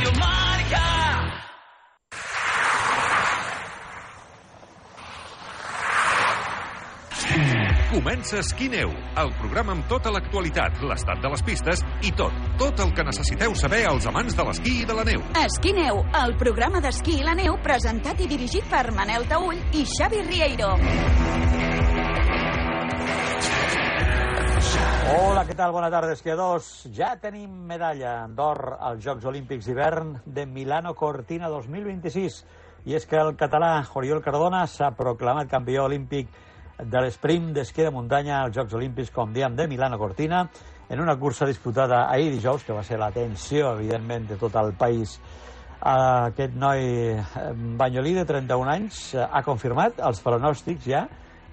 Radio Marca. Comença Esquí Neu, el programa amb tota l'actualitat, l'estat de les pistes i tot el que necessiteu saber als amants de l'esquí i de la neu. Esquí Neu, el programa d'esquí i la neu presentat i dirigit per Manel Taüll i Xavi Rieiro. Hola, què tal? Bona tarda, esquiadors. Ja tenim medalla d'or als Jocs Olímpics d'hivern de Milano Cortina 2026. I és que el català Oriol Cardona s'ha proclamat campió olímpic de l'esprint d'esquí de muntanya als Jocs Olímpics, com diem, de Milano Cortina, en una cursa disputada ahir dijous, que va ser l'atenció, evidentment, de tot el país. Aquest noi banyolí de 31 anys ha confirmat els pronòstics ja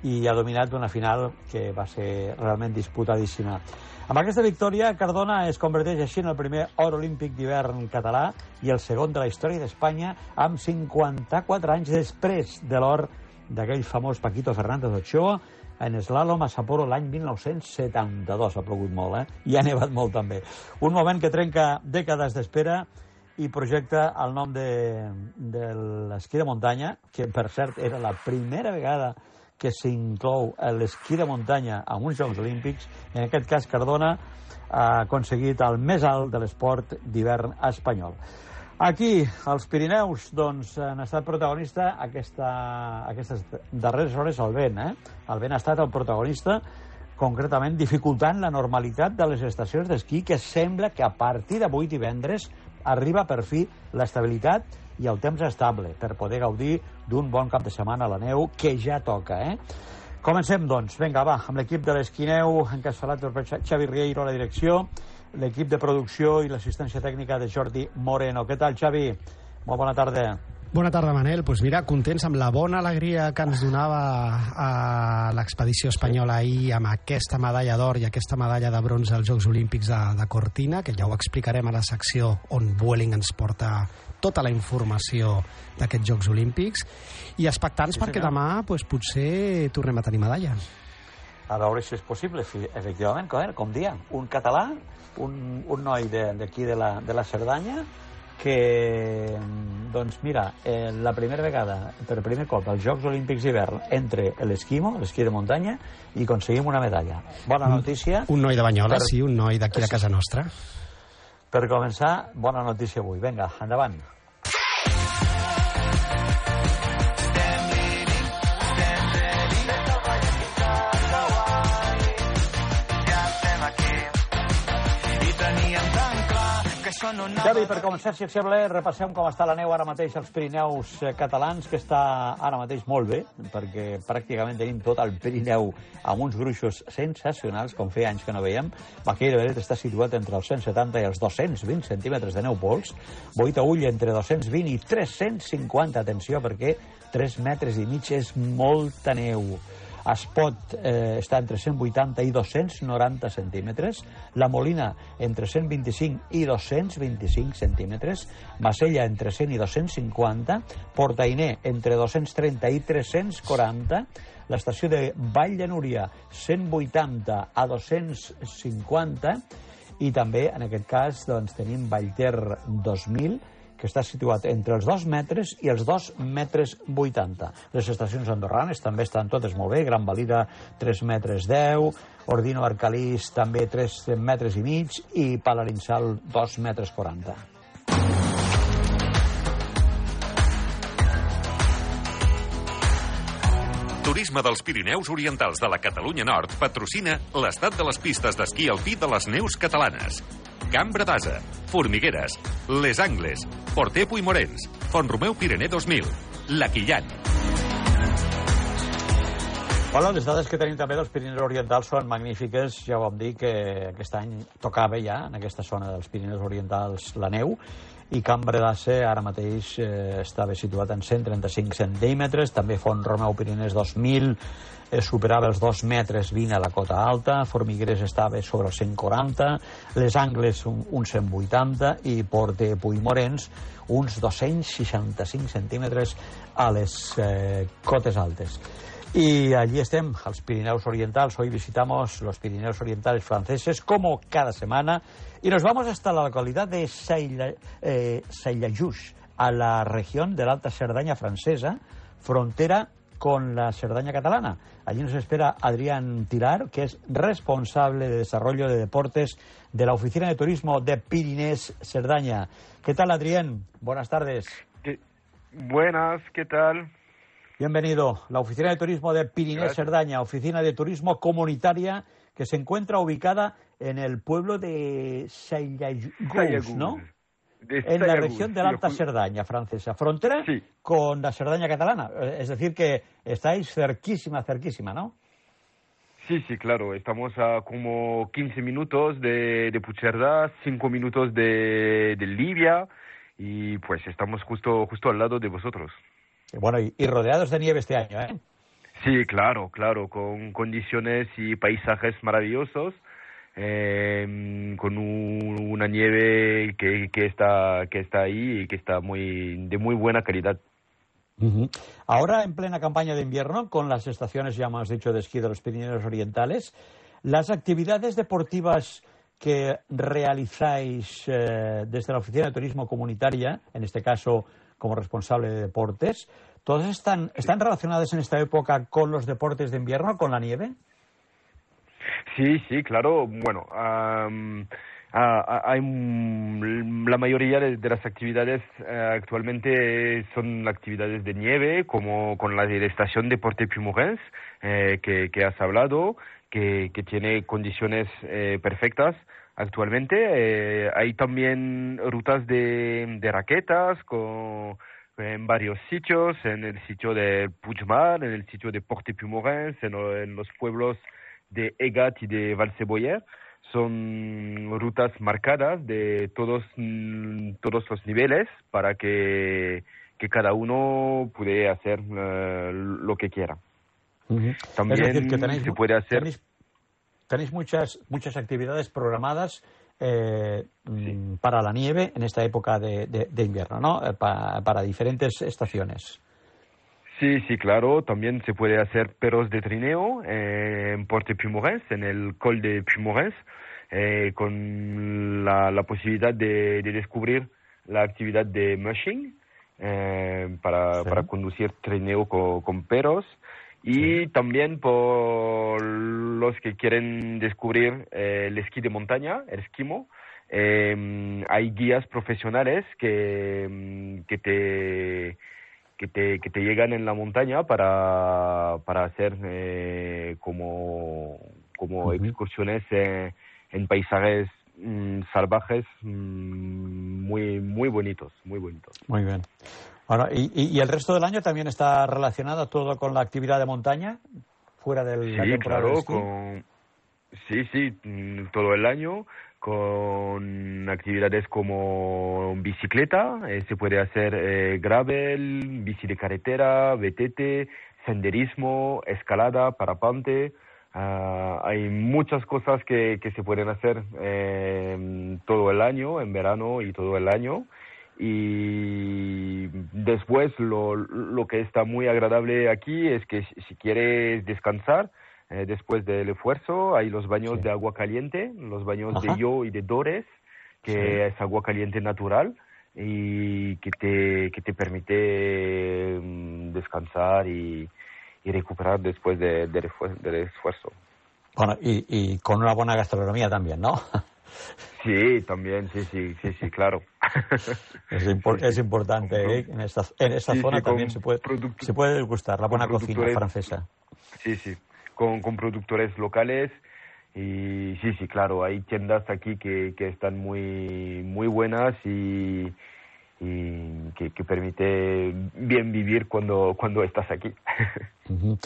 i ha dominat una final que va ser realment disputadíssima. Amb aquesta victòria, Cardona es converteix així en el primer or olímpic d'hivern català i el segon de la història d'Espanya, amb 54 anys després de l'or d'aquell famós Paquito Fernández Ochoa en eslàlom a Sapporo l'any 1972. Ha plogut molt, i ha nevat molt també. Un moment que trenca dècades d'espera i projecta el nom de l'esquí de muntanya, que per cert era la primera vegada que s'inclou l'esquí de muntanya en uns Jocs Olímpics. En aquest cas, Cardona ha aconseguit el més alt de l'esport d'hivern espanyol. Aquí, als Pirineus, doncs, han estat protagonista aquestes darreres hores el vent. El vent ha estat el protagonista, concretament dificultant la normalitat de les estacions d'esquí, que sembla que a partir d'avui divendres arriba per fi l'estabilitat i el temps estable per poder gaudir d'un bon cap de setmana a la neu, que ja toca. Comencem, doncs. Vinga, va, amb l'equip de l'Esquineu, encapçalat per Xavi Rieiro a la direcció, l'equip de producció i l'assistència tècnica de Jordi Moreno. Què tal, Xavi? Molt bona tarda. Bona tarda, Manel. Doncs mira, contents amb la bona alegria que ens donava a l'expedició espanyola ahir amb aquesta medalla d'or i aquesta medalla de bronze als Jocs Olímpics de Cortina, que ja ho explicarem a la secció on Vueling ens porta tota la informació d'aquests Jocs Olímpics, i expectants perquè demà potser tornem a tenir medalla. A veure si és possible, efectivament, com diem, un català, un noi d'aquí de la Cerdanya, que, doncs mira, la primera vegada, per primer cop, als Jocs Olímpics d'hivern, entre l'esquí de muntanya, i aconseguim una medalla. Bona notícia. Un noi de Banyoles, sí, un noi d'aquí de casa nostra. Per començar, bona notícia avui. Vinga, endavant. Xavi, per començar, si et sembla, repassem com està la neu ara mateix als Pirineus catalans, que està ara mateix molt bé, perquè pràcticament tenim tot el Pirineu amb uns gruixos sensacionals, com feia anys que no veiem. Baqueiro Beret està situat entre els 170 i els 220 centímetres de neu pols. Boí-Taüll entre 220 i 350, atenció, perquè 3 metres i mig és molta neu. Espot està entre 180 i 290 centímetres, la Molina entre 125 i 225 centímetres, Masella entre 100 i 250, Portainer entre 230 i 340, l'estació de Vall de Núria 180 a 250, i també en aquest cas doncs, tenim Vallter 2000, que està situat entre els 2 metres i els 2 metres 80. Les estacions andorranes també estan totes molt bé. Gran Valira, 3 metres 10, Ordino Arcalís, també 3 metres i mig, i Palarinsal, 2 metres 40. Turisme dels Pirineus Orientals de la Catalunya Nord patrocina l'estat de les pistes d'esquí alpí de les neus catalanes. Cambra d'Asa, Formigueres, Les Angles, Porter Puigmorens, Font-romeu Pirener 2000, La Quillan. Bueno, les dades que tenim també dels Pirineus Orientals són magnífiques. Ja vam dir que aquest any tocava ja en aquesta zona dels Pirineus Orientals la neu, i Cambra d'Asa ara mateix estava situat en 135 centímetres, també Font-romeu Piriners 2000 superava els 2 metres 20 a la cota alta, Formigueres estava sobre els 140, Les Angles uns 180 i Porter Puigmorens uns 265 centímetres a les cotes altes. Y allí estem, als Pirineos Orientals. Hoy visitamos los Pirineos Orientales franceses, como cada semana, y nos vamos hasta la localidad de Saillajous, a la región de la Alta Cerdaña francesa, frontera con la Cerdaña catalana. Allí nos espera Adrián Tilar, que es responsable de desarrollo de deportes de la Oficina de Turismo de Pirinés Cerdaña. ¿Qué tal, Adrián? Buenas tardes. Buenas, ¿qué tal? Bienvenido. La Oficina de Turismo de Pirinés Cerdaña, oficina de turismo comunitaria que se encuentra ubicada en el pueblo de Saillajous, ¿no? En la región de la Alta Cerdaña francesa, frontera con la Cerdaña catalana. Es decir, que estáis cerquísima, ¿no? Sí, claro. Estamos a como 15 minutos de Puigcerdà, 5 minutos de Libia, y pues estamos justo al lado de vosotros. Bueno, y rodeados de nieve este año, ¿eh? Sí, claro, con condiciones y paisajes maravillosos. Con una nieve que está ahí y que está de muy buena calidad. Uh-huh. Ahora, en plena campaña de invierno, con las estaciones, ya hemos dicho, de esquí de los Pirineos Orientales, las actividades deportivas que realizáis desde la Oficina de Turismo Comunitaria, en este caso como responsable de deportes, ¿todas están relacionadas en esta época con los deportes de invierno, con la nieve? Sí, claro. Bueno, hay la mayoría de las actividades actualmente son actividades de nieve, como con la estación de Porte-Puymorens, que has hablado, que tiene condiciones perfectas actualmente. Hay también rutas de raquetas en varios sitios, en el sitio de Puigmal, en el sitio de Porte-Puymorens, en los pueblos de Egat y de Valseboyer. Son rutas marcadas de todos los niveles para que cada uno pueda hacer lo que quiera. Uh-huh. También es decir, que se puede hacer... Tenéis muchas actividades programadas para la nieve en esta época de invierno, ¿no? Para diferentes estaciones. Sí, claro. También se puede hacer perros de trineo en Porte-Puymorens, en el col de Puymorens, con la posibilidad de descubrir la actividad de mushing para conducir trineo con perros. Y también por los que quieren descubrir el esquí de montaña, el esquimo, hay guías profesionales que te llegan en la montaña para hacer como excursiones en paisajes salvajes muy bonitos. Muy bien. Bueno, ¿y el resto del año también está relacionado todo con la actividad de montaña fuera del la temporada de esquí? Sí, todo el año, con actividades como bicicleta, se puede hacer gravel, bici de carretera, VTT, senderismo, escalada, parapente. Hay muchas cosas que se pueden hacer todo el año, en verano y todo el año. Y después lo que está muy agradable aquí es que si quieres descansar después del esfuerzo, hay los baños de agua caliente, los baños de Yo y de Dores, que es agua caliente natural y que te permite descansar y recuperar después del esfuerzo. Bueno, y con una buena gastronomía también, ¿no? Sí, también, sí, claro. Es importante, ¿eh? En esta zona también se puede degustar la buena cocina francesa. Sí, con productores locales. Y sí, claro, hay tiendas aquí que están muy buenas y que permite bien vivir cuando estás aquí. Uh-huh.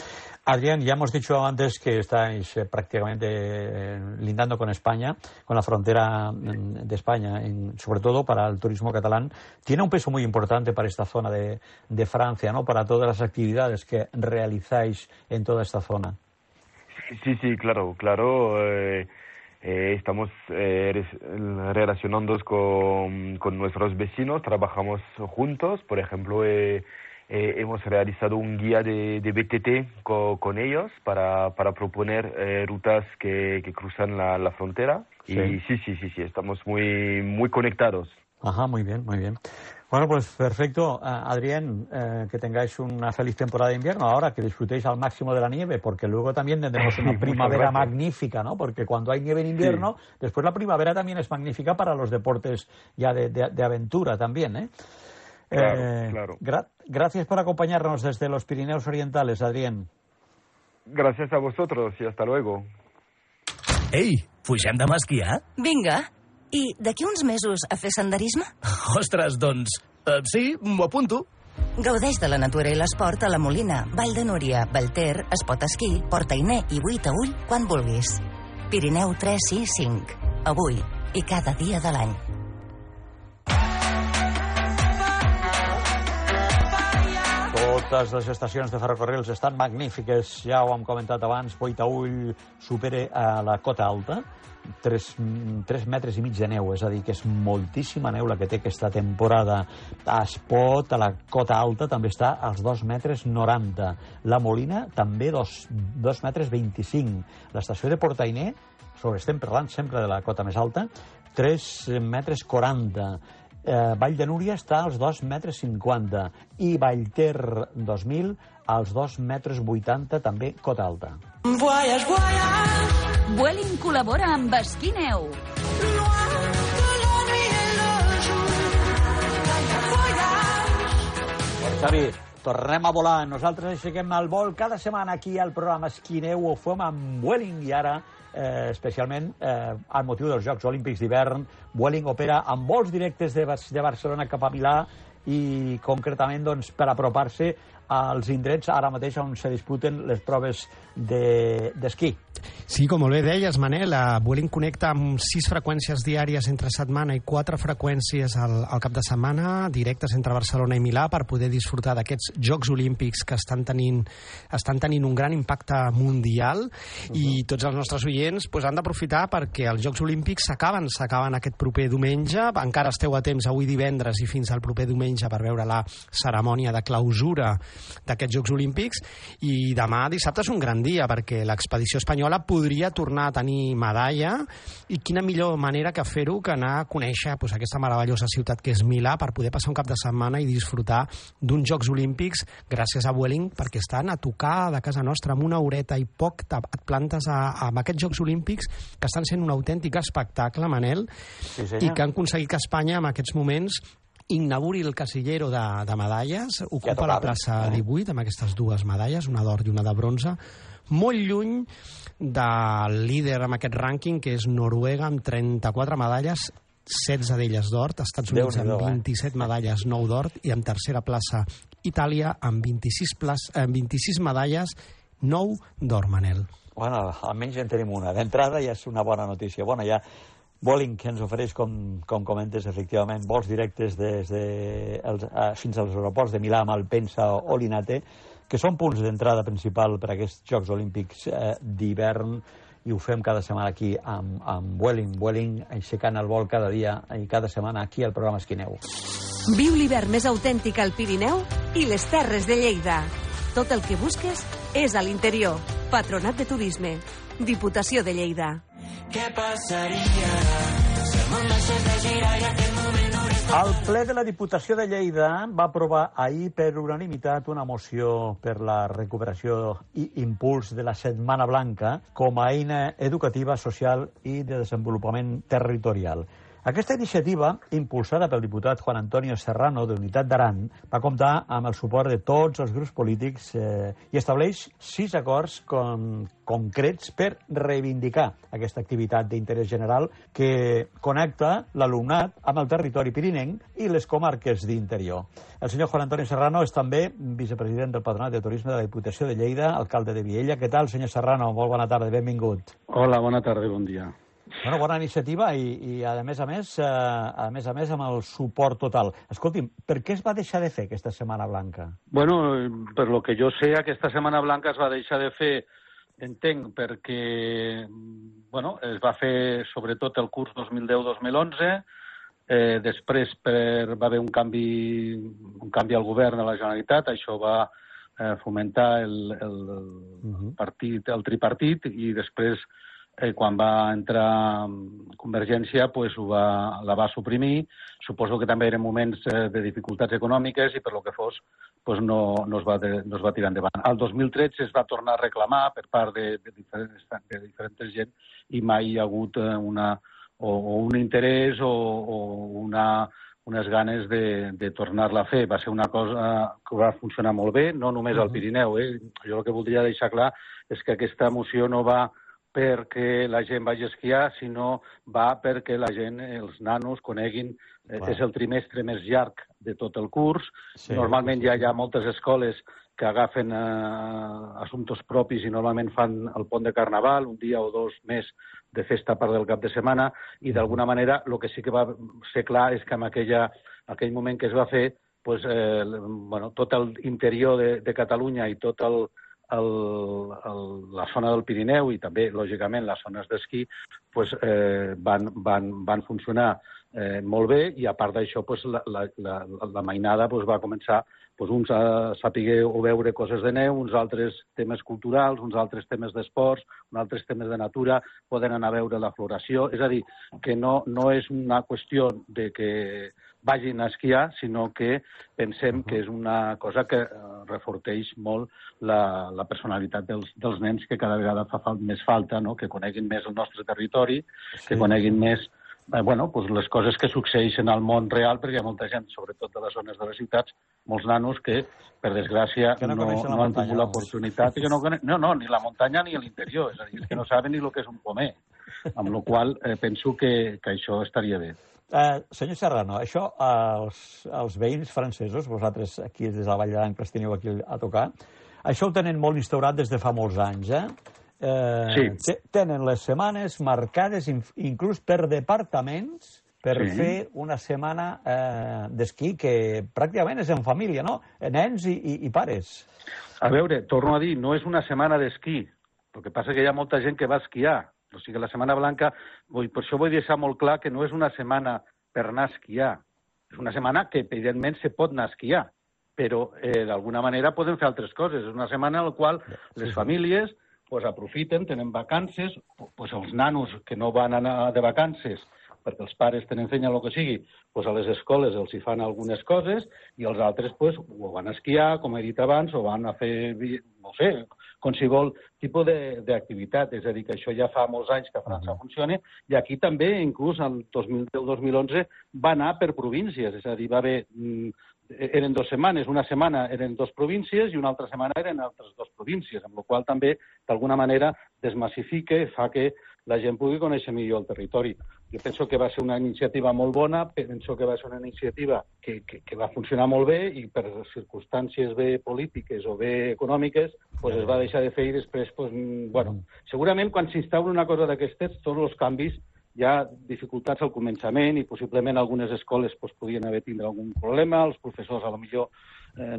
Adrián, ya hemos dicho antes que estáis prácticamente lindando con España, con la frontera de España, sobre todo para el turismo catalán. Tiene un peso muy importante para esta zona de Francia, ¿no? Para todas las actividades que realizáis en toda esta zona. Sí, claro. Estamos relacionándonos con nuestros vecinos, trabajamos juntos. Por ejemplo, hemos realizado un guía de BTT con ellos para proponer rutas que cruzan la frontera. Sí. Y sí, estamos muy conectados. Ajá, muy bien. Bueno, pues perfecto. Adrián, que tengáis una feliz temporada de invierno ahora, que disfrutéis al máximo de la nieve, porque luego también tendremos una primavera magnífica, ¿no? Porque cuando hay nieve en invierno, después la primavera también es magnífica para los deportes ya de aventura también, ¿eh? Claro. Gracias por acompañarnos desde los Pirineos Orientales, Adrián. Gracias a vosotros y hasta luego. Ei, pugem demà a esquiar? Vinga. I d'aquí uns mesos a fer senderisme? Ostres, doncs, sí, m'ho apunto. Gaudeix de la natura i l'esport a la Molina, Vall de Núria, Vallter, Espot Esquí, Port Ainé i Buitaüll quan vulguis. Pirineu 3 i 5. Avui i cada dia de l'any. Totes les estacions de ferrocarrils estan magnífiques, ja ho hem comentat abans. Buitaüll supera a la cota alta 3 metres i mig de neu, és a dir, que és moltíssima neu la que té aquesta temporada. A Espot, a la cota alta, també està als 2 metres 90. La Molina també 2 metres 25. L'estació de Port Ainé, estem parlant sempre de la cota més alta, 3 metres 40. Vall de Núria està als 2 metres 50 i Vallter 2000 als 2 metres 80, també cota alta. Vueling col·labora amb Esquí Neu. Xavi, tornem a volar. Nosaltres aixequem el vol cada setmana aquí al programa Esquí Neu. Ho fem amb Vueling i ara especialment al motiu dels Jocs Olímpics d'hivern. Vueling opera amb vols directes de Barcelona cap a Milà i concretament doncs, per apropar-se als indrets ara mateix on se disputen les proves d'esquí. Sí, com molt bé deies, Manel, Vueling connecta amb 6 freqüències diàries entre setmana i 4 freqüències al cap de setmana, directes entre Barcelona i Milà, per poder disfrutar d'aquests Jocs Olímpics que estan tenint un gran impacte mundial. I tots els nostres oients han d'aprofitar perquè els Jocs Olímpics s'acaben aquest proper diumenge. Encara esteu a temps avui divendres i fins al proper diumenge per veure la cerimònia de clausura d'aquests Jocs Olímpics, i demà dissabte és un gran dia perquè l'expedició espanyola podria tornar a tenir medalla, i quina millor manera que fer-ho que anar a conèixer aquesta meravellosa ciutat que és Milà per poder passar un cap de setmana i disfrutar d'uns Jocs Olímpics gràcies a Vueling, perquè estan a tocar de casa nostra amb una horeta i poc et plantes amb aquests Jocs Olímpics que estan sent un autèntic espectacle, Manel, sí, i que han aconseguit que Espanya en aquests moments inauguri el casillero de medalles, ocupa la plaça 18 amb aquestes 2 medalles, una d'or i una de bronze, molt lluny del líder amb aquest rànquing, que és Noruega, amb 34 medalles, 16 d'elles d'or, Estats Units amb 27 medalles, 9 d'or, i en tercera plaça Itàlia amb 26 medalles, 9 d'or, Manel. Bueno, almenys en tenim una. D'entrada ja és una bona notícia. Bueno, ja Vueling, que ens ofereix, com comentes, efectivament, vols directes fins als aeroports de Milà, Malpensa o Linate, que són punts d'entrada principal per a aquests Jocs Olímpics d'hivern, i ho fem cada setmana aquí amb Vueling, aixecant el vol cada dia i cada setmana aquí al programa Esquí Neu. Viu l'hivern més autèntic al Pirineu i les Terres de Lleida. Tot el que busques és a l'interior. Patronat de Turisme. Diputació de Lleida. Què passaria si el món deixés de girar i aquest moment no hauria... El ple de la Diputació de Lleida va aprovar ahir per unanimitat una moció per la recuperació i impuls de la Setmana Blanca com a eina educativa, social i de desenvolupament territorial. Aquesta iniciativa, impulsada pel diputat Juan Antonio Serrano, de Unitat d'Aran, va comptar amb el suport de tots els grups polítics i estableix 6 acords concrets per reivindicar aquesta activitat d'interès general que connecta l'alumnat amb el territori pirinenc i les comarques d'interior. El senyor Juan Antonio Serrano és també vicepresident del Patronat de Turisme de la Diputació de Lleida, alcalde de Viella. Què tal, senyor Serrano? Molt bona tarda, benvingut. Hola, bona tarda, bon dia. Bueno, bona iniciativa i a més a més amb el suport total. Escolti'm, per què es va deixar de fer aquesta Setmana Blanca? Bueno, per lo que jo sé, aquesta Setmana Blanca es va deixar de fer, entenc, perquè es va fer sobretot el curs 2010-2011, Després va haver un canvi al govern de la Generalitat, això va fomentar el tripartit, i després, quan va entrar Convergència, la va suprimir. Suposo que també eren moments de dificultats econòmiques i per lo que fos no es va tirar endavant. El 2013 es va tornar a reclamar per part de diferents gent i mai hi ha hagut un interès o unes ganes de tornar-la a fer. Va ser una cosa que va funcionar molt bé, no només al Pirineu. Jo el que voldria deixar clar és que aquesta moció no va perquè la gent vagi a esquiar, sinó va perquè la gent, els nanos, coneguin. És el trimestre més llarg de tot el curs. Normalment ja hi ha moltes escoles que agafen assumptes propis i normalment fan el pont de Carnaval, un dia o dos més de festa part del cap de setmana, i d'alguna manera el que sí que va ser clar és que en aquell moment que es va fer, tot l'interior de Catalunya i tot la zona del Pirineu i també, lògicament, les zones d'esquí van funcionar molt bé, i a part d'això la mainada va començar uns a saber o veure coses de neu, uns altres temes culturals, uns altres temes d'esports, uns altres temes de natura, poden anar a veure la floració. És a dir, que no és una qüestió de que vagin a esquiar, sinó que pensem que és una cosa que reforteix molt la personalitat dels nens, que cada vegada fa més falta, que coneguin més el nostre territori, que coneguin més les coses que succeeixen al món real, perquè hi ha molta gent, sobretot de les zones de les ciutats, molts nanos que, per desgràcia, no han tingut l'oportunitat, ni la muntanya ni l'interior, és a dir, que no saben ni el que és un pomer, amb la qual penso que això estaria bé. Senyor Serrano, això els veïns francesos, vosaltres aquí des de la Vall d'Aran que els teniu aquí a tocar, això ho tenen molt instaurat des de fa molts anys, Sí. Tenen les setmanes marcades inclús per departaments per fer una setmana d'esquí que pràcticament és en família, no? Nens i pares. A veure, torno a dir, no és una setmana d'esquí. El que passa que hi ha molta gent que va esquiar. O sigui, la Setmana Blanca, per això vull deixar molt clar que no és una setmana per anar a esquiar. És una setmana que, evidentment, se pot anar a esquiar, però d'alguna manera poden fer altres coses. És una setmana en la qual les famílies aprofiten, tenen vacances, els nanos que no van anar de vacances perquè els pares tenen feina o el que sigui, a les escoles els hi fan algunes coses i els altres o van a esquiar, com he dit abans, o van a fer, no sé, qualsevol tipus d'activitat. És a dir, que això ja fa molts anys que a França funciona, i aquí també, inclús el 2010-2011, va anar per províncies. És a dir, va haver... Eren 2 setmanes, una setmana eren 2 províncies i una altra setmana eren altres 2 províncies, amb la qual també, d'alguna manera, desmassifica i fa que la gent pugui conèixer millor el territori. Jo penso que va ser una iniciativa molt bona, penso que va ser una iniciativa que va funcionar molt bé i per circumstàncies bé polítiques o bé econòmiques es va deixar de fer i després, segurament quan s'instaura una cosa d'aquestes, tots els canvis hi ha dificultats al començament i possiblement algunes escoles podien haver tindre algun problema, els professors a lo millor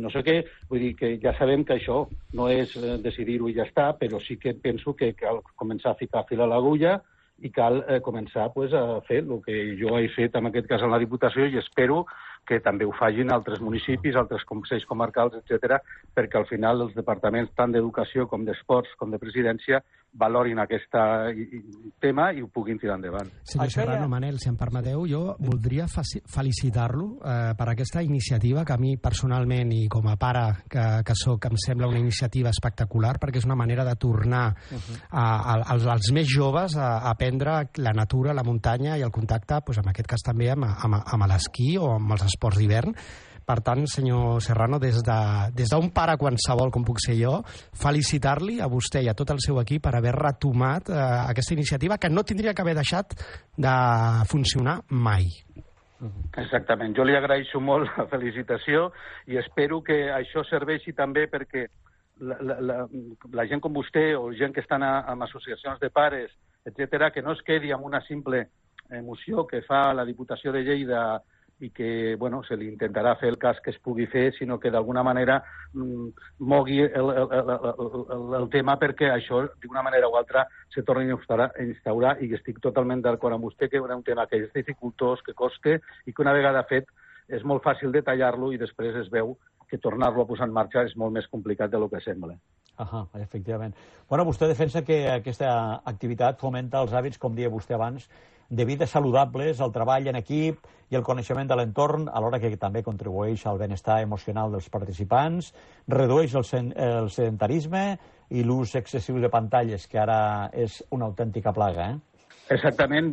no sé què, vull dir que ja sabem que això no és decidir-ho i ja està, però sí que penso que cal començar a ficar fil a l'agulla i cal començar a fer el que jo he fet en aquest cas a la Diputació i espero que també ho facin altres municipis, altres consells comarcals, etc., perquè al final els departaments tant d'educació com d'esports com de presidència valorin aquest tema i ho puguin tirar endavant. Senyor Serrano, Manel, si em permeteu, jo voldria felicitar-lo per aquesta iniciativa que a mi personalment i com a pare que soc em sembla una iniciativa espectacular perquè és una manera de tornar als més joves a aprendre la natura, la muntanya i el contacte, en aquest cas també amb l'esquí o amb els esports d'hivern. Per tant, senyor Serrano, des d'un pare qualsevol com puc ser jo, felicitar-li a vostè i a tot el seu equip per haver retomat aquesta iniciativa que no tindria que haver deixat de funcionar mai. Exactament. Jo li agraeixo molt la felicitació i espero que això serveixi també perquè la gent com vostè o gent que estan en associacions de pares, etc., que no es quedi amb una simple moció que fa la Diputació de Lleida i que se li intentarà fer el cas que es pugui fer, sinó que d'alguna manera mogui el tema perquè això, d'una manera o altra, se torni a instaurar, i estic totalment d'acord amb vostè que és un tema que és dificultós, que costa, i que una vegada fet és molt fàcil de tallar-lo i després es veu que tornar-lo a posar en marxa és molt més complicat del que sembla. Efectivament. Bueno, vostè defensa que aquesta activitat fomenta els hàbits, com deia vostè abans, de vida saludables, el treball en equip i el coneixement de l'entorn, alhora que també contribueix al benestar emocional dels participants, redueix el sedentarisme i l'ús excessiu de pantalles, que ara és una autèntica plaga, Exactament.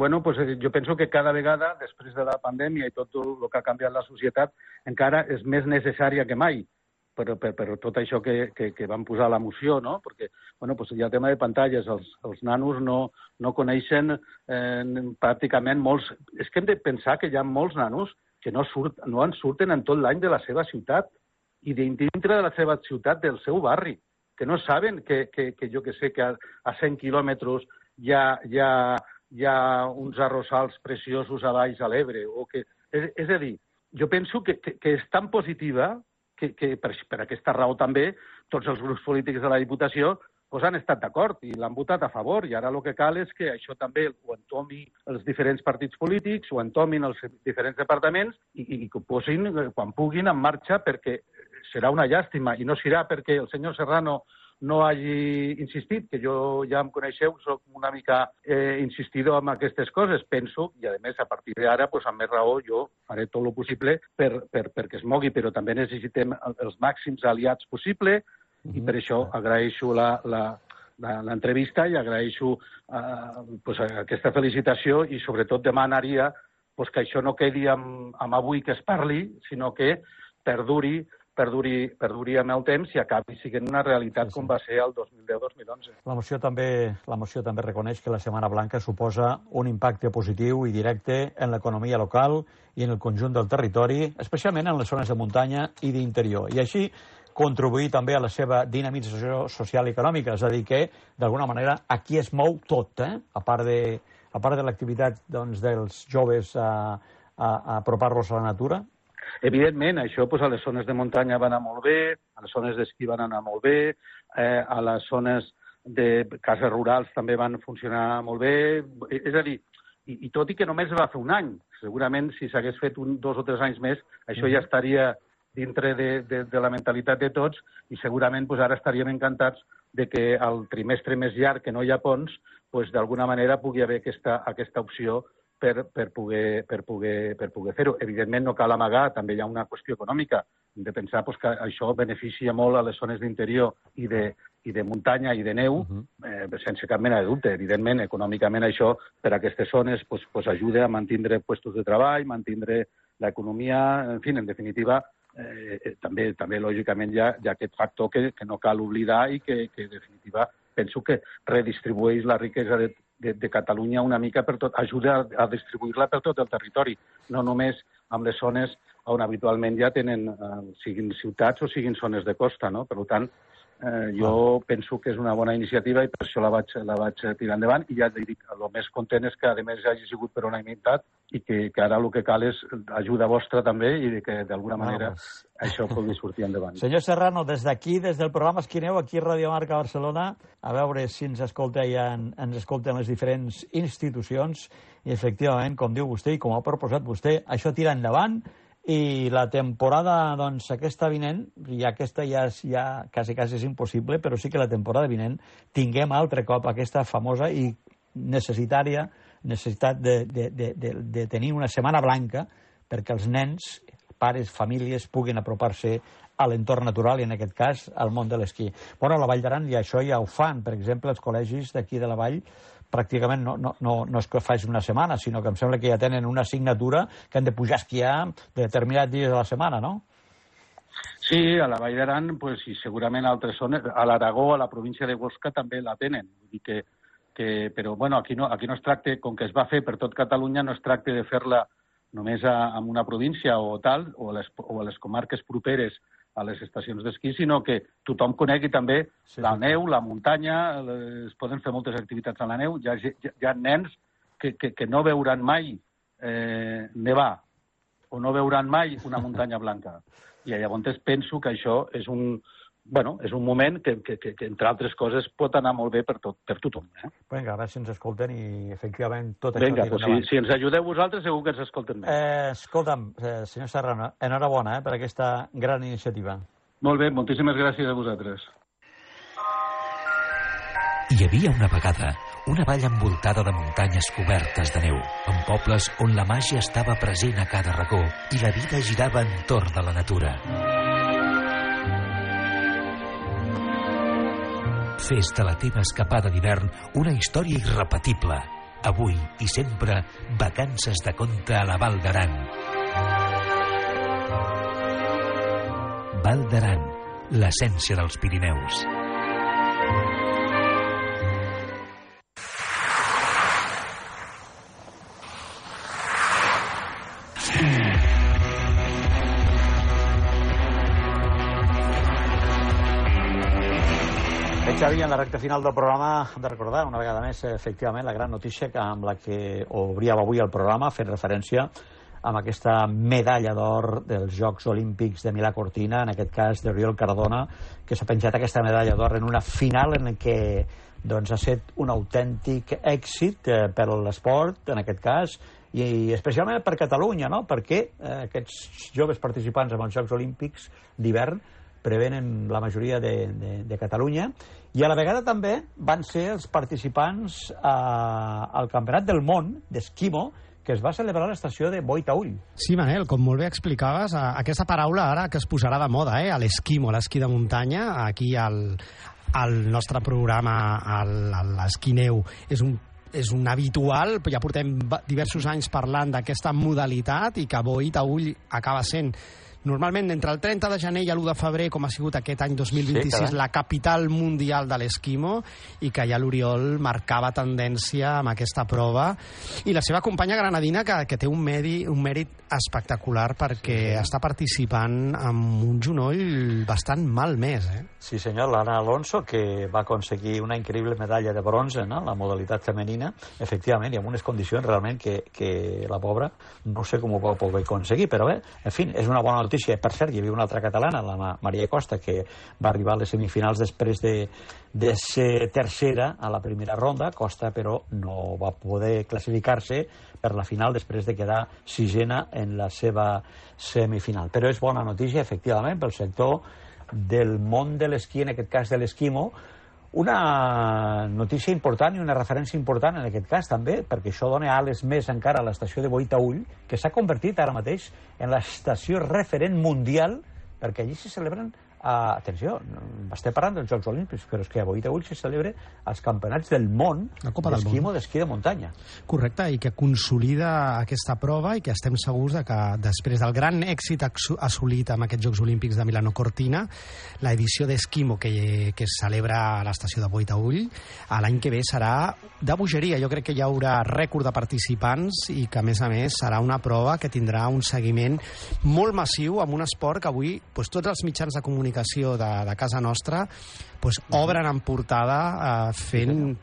Jo penso que cada vegada, després de la pandèmia i tot el que ha canviat la societat, encara és més necessària que mai, per tot això que van posar a la moció, no? Perquè hi ha el tema de pantalles. Els nanos no coneixen pràcticament molts... És que hem de pensar que hi ha molts nanos que no en surten en tot l'any de la seva ciutat i dintre de la seva ciutat, del seu barri, que no saben que jo que sé, que a 100 quilòmetres hi ha uns arrossals preciosos a baix a l'Ebre. És a dir, jo penso que és tan positiva que per aquesta raó també tots els grups polítics de la Diputació han estat d'acord i l'han votat a favor. I ara el que cal és que això també ho entomin els diferents partits polítics, ho entomin els diferents departaments i que ho posin quan puguin en marxa, perquè serà una llàstima. I no serà perquè el senyor Serrano no hagi insistit, que jo ja em coneixeu, soc una mica insistidor en aquestes coses, penso, i a més a partir d'ara, amb més raó, jo faré tot el possible perquè es mogui, però també necessitem els màxims aliats possibles, i per això agraeixo l'entrevista i agraeixo aquesta felicitació i sobretot demanaria que això no quedi amb avui que es parli, sinó que perduri amb el temps i acabi sent una realitat com va ser el 2010-2011. La moció també reconeix que la Setmana Blanca suposa un impacte positiu i directe en l'economia local i en el conjunt del territori, especialment en les zones de muntanya i d'interior. I així contribuir també a la seva dinamització social i econòmica, és a dir que, d'alguna manera, aquí es mou tot, a part de l'activitat dels joves a apropar-los a la natura. Evidentment, això a les zones de muntanya va anar molt bé, a les zones d'esquí van anar molt bé, a les zones de cases rurals també van funcionar molt bé. És a dir, i tot i que només va fer un any, segurament si s'hagués fet 2 o 3 anys més, això ja estaria dintre de la mentalitat de tots i segurament ara estaríem encantats de que al trimestre més llarg, que no hi ha ponts, d'alguna manera pugui haver aquesta opció per poder fer-ho. Evidentment no cal amagar, també hi ha una qüestió econòmica. Hem de pensar que això beneficia molt a les zones d'interior i de muntanya i de neu, sense cap mena de dubte. Evidentment, econòmicament això per a aquestes zones ajuda a mantenir llocs de treball, mantenir l'economia, en definitiva, també lògicament hi ha aquest factor que no cal oblidar i que en definitiva penso que redistribueix la riquesa de Catalunya una mica per tot, ajuda a distribuir-la per tot el territori, no només amb les zones on habitualment ja tenen, siguin ciutats o siguin zones de costa, no? Per tant, jo penso que és una bona iniciativa i per això la vaig tirar endavant i ja dic, el més content és que a més hagi sigut per unanimitat i que ara el que cal és ajuda vostra també i que d'alguna manera això pugui sortir endavant. Senyor Serrano, des d'aquí, des del programa Esquineu, aquí a Radio Marca Barcelona, a veure si ens escolten les diferents institucions i efectivament, com diu vostè i com ha proposat vostè, això tira endavant. I la temporada, aquesta vinent, i aquesta ja quasi és impossible, però sí que la temporada vinent tinguem altre cop aquesta famosa i necessitat de tenir una setmana blanca perquè els nens, pares, famílies, puguin apropar-se a l'entorn natural i, en aquest cas, al món de l'esquí. A la Vall d'Aran això ja ho fan. Per exemple, els col·legis d'aquí de la Vall pràcticament no és que faci una setmana, sinó que em sembla que ja tenen una assignatura que han de pujar a esquiar de determinats dies de la setmana, no? Sí, a la Vall d'Aran, i segurament a altres zones, a l'Aragó, a la província de Huesca, també la tenen. Però aquí no es tracta, com que es va fer per tot Catalunya, no es tracta de fer-la només en una província o tal, o a les comarques properes a les estacions d'esquí, sinó que tothom conegui també la neu, la muntanya, es poden fer moltes activitats a la neu, hi ha nens que no veuran mai nevar, o no veuran mai una muntanya blanca. I llavors penso que això és un moment que, entre altres coses, pot anar molt bé per tothom. Vinga, a veure si ens escolten i, efectivament, tot això... Vinga, doncs si ens ajudeu vosaltres, segur que ens escolten més. Escolta'm, senyor Serrano, enhorabona per aquesta gran iniciativa. Molt bé, moltíssimes gràcies a vosaltres. Hi havia una vegada una vall envoltada de muntanyes cobertes de neu, amb pobles on la màgia estava present a cada racó i la vida girava entorn de la natura. Fes de la teva escapada d'hivern una història irrepetible. Avui i sempre, vacances de conte a la Val d'Aran. Val d'Aran, l'essència dels Pirineus. Xavi, en la recta final del programa hem de recordar una vegada més, efectivament, la gran notícia amb la que obríem avui el programa, fent referència amb aquesta medalla d'or dels Jocs Olímpics de Milà-Cortina, en aquest cas d'Oriol Cardona, que s'ha penjat aquesta medalla d'or en una final en què ha estat un autèntic èxit per l'esport, en aquest cas, i especialment per Catalunya, no? Perquè aquests joves participants en els Jocs Olímpics d'hivern prevenen la majoria de Catalunya, i a la vegada també van ser els participants al Campionat del Món d'Esquimo, que es va celebrar a l'estació de Boitaüll. Sí, Manel, com molt bé explicaves, aquesta paraula ara que es posarà de moda, l'esquimo, l'esquí de muntanya, aquí al nostre programa, l'esquineu, és un habitual, ja portem diversos anys parlant d'aquesta modalitat i que Boitaüll acaba sent normalment entre el 30 de gener i l'1 de febrer, com ha sigut aquest any 2026, la capital mundial de l'esquimo, i que ja l'Oriol marcava tendència amb aquesta prova, i la seva companya granadina que té un mèrit espectacular perquè està participant amb un genoll bastant malmès. Sí senyor, l'Anna Alonso, que va aconseguir una increïble medalla de bronze, no?, la modalitat femenina, efectivament, i amb unes condicions realment que la pobra no sé com ho va poder aconseguir, però bé, en fi, és una bona notícia. Per cert, hi havia una altra catalana, la Maria Costa, que va arribar a les semifinals després de ser tercera a la primera ronda. Costa, però, no va poder classificar-se per la final després de quedar sisena en la seva semifinal. Però és bona notícia, efectivament, pel sector del món de l'esquí, en aquest cas de l'esquimo, una notícia important i una referència important en aquest cas també, perquè això dona ales més encara a l'estació de Boitaüll, que s'ha convertit ara mateix en l'estació referent mundial, perquè allí se celebren, atenció, estem parlant dels Jocs Olímpics, però és que a Boitaüll se celebra els campionats del món d'esquimo, d'esquí de muntanya. Correcte, i que consolida aquesta prova i que estem segurs que després del gran èxit assolit amb aquests Jocs Olímpics de Milano-Cortina, l'edició d'esquimo que es celebra a l'estació de Boitaüll l'any que ve serà de bogeria. Jo crec que hi haurà rècord de participants i que, a més, serà una prova que tindrà un seguiment molt massiu amb un esport que avui tots els mitjans de comunicació de casa nostra obren en portada fent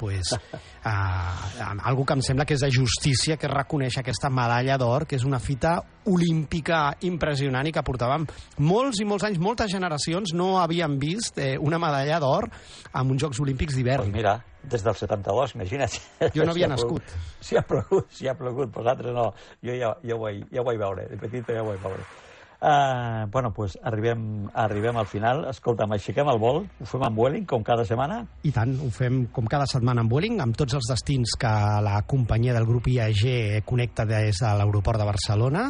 algo que em sembla que és de justícia, que és reconèixer aquesta medalla d'or, que és una fita olímpica impressionant i que portàvem molts i molts anys, moltes generacions no havien vist una medalla d'or en uns Jocs Olímpics d'hivern. Pues mira, des del 72, imagina't. Jo no havia nascut. Si ha plogut, vosaltres no. Jo ja ho vaig veure, de petit ja ho vaig veure. Bueno, pues arribem al final. Escolta'm, aixequem el vol, ho fem amb Vueling, com cada setmana? I tant, ho fem com cada setmana amb Vueling, amb tots els destins que la companyia del grup IAG connecta des de l'aeroport de Barcelona.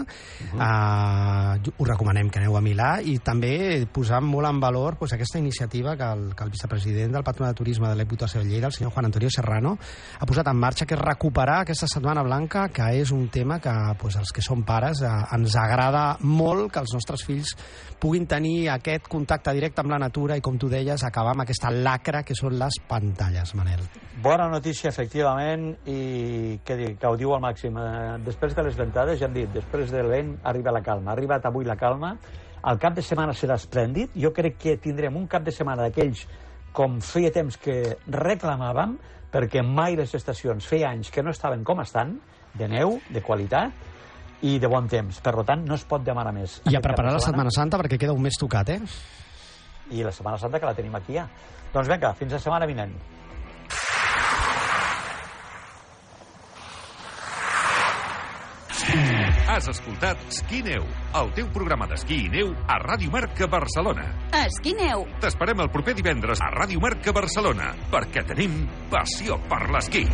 Us recomanem que aneu a Milà, i també posam molt en valor aquesta iniciativa que el vicepresident del Patronat de Turisme de la Diputació de Lleida, el senyor Juan Antonio Serrano, ha posat en marxa, que és recuperar aquesta Setmana Blanca, que és un tema que els que som pares ens agrada molt, que els nostres fills puguin tenir aquest contacte directe amb la natura i, com tu deies, acabar amb aquesta lacra que són les pantalles, Manel. Bona notícia, efectivament, i que ho diu al màxim. Després de les ventades, ja hem dit, després del vent arriba la calma. Ha arribat avui la calma. El cap de setmana serà esplèndid. Jo crec que tindrem un cap de setmana d'aquells com feia temps que reclamàvem, perquè mai les estacions feia anys que no estaven com estan, de neu, de qualitat, i de bon temps. Per tant, no es pot demanar més. I a preparar la Setmana Santa, perquè queda un mes tocat, I la Setmana Santa, que la tenim aquí ja. Doncs vinga, fins la setmana vinent. Has escoltat Esquí Neu, el teu programa d'esquí i neu a Ràdio Marca Barcelona. Esquí Neu. T'esperem el proper divendres a Ràdio Marca Barcelona, perquè tenim passió per l'esquí.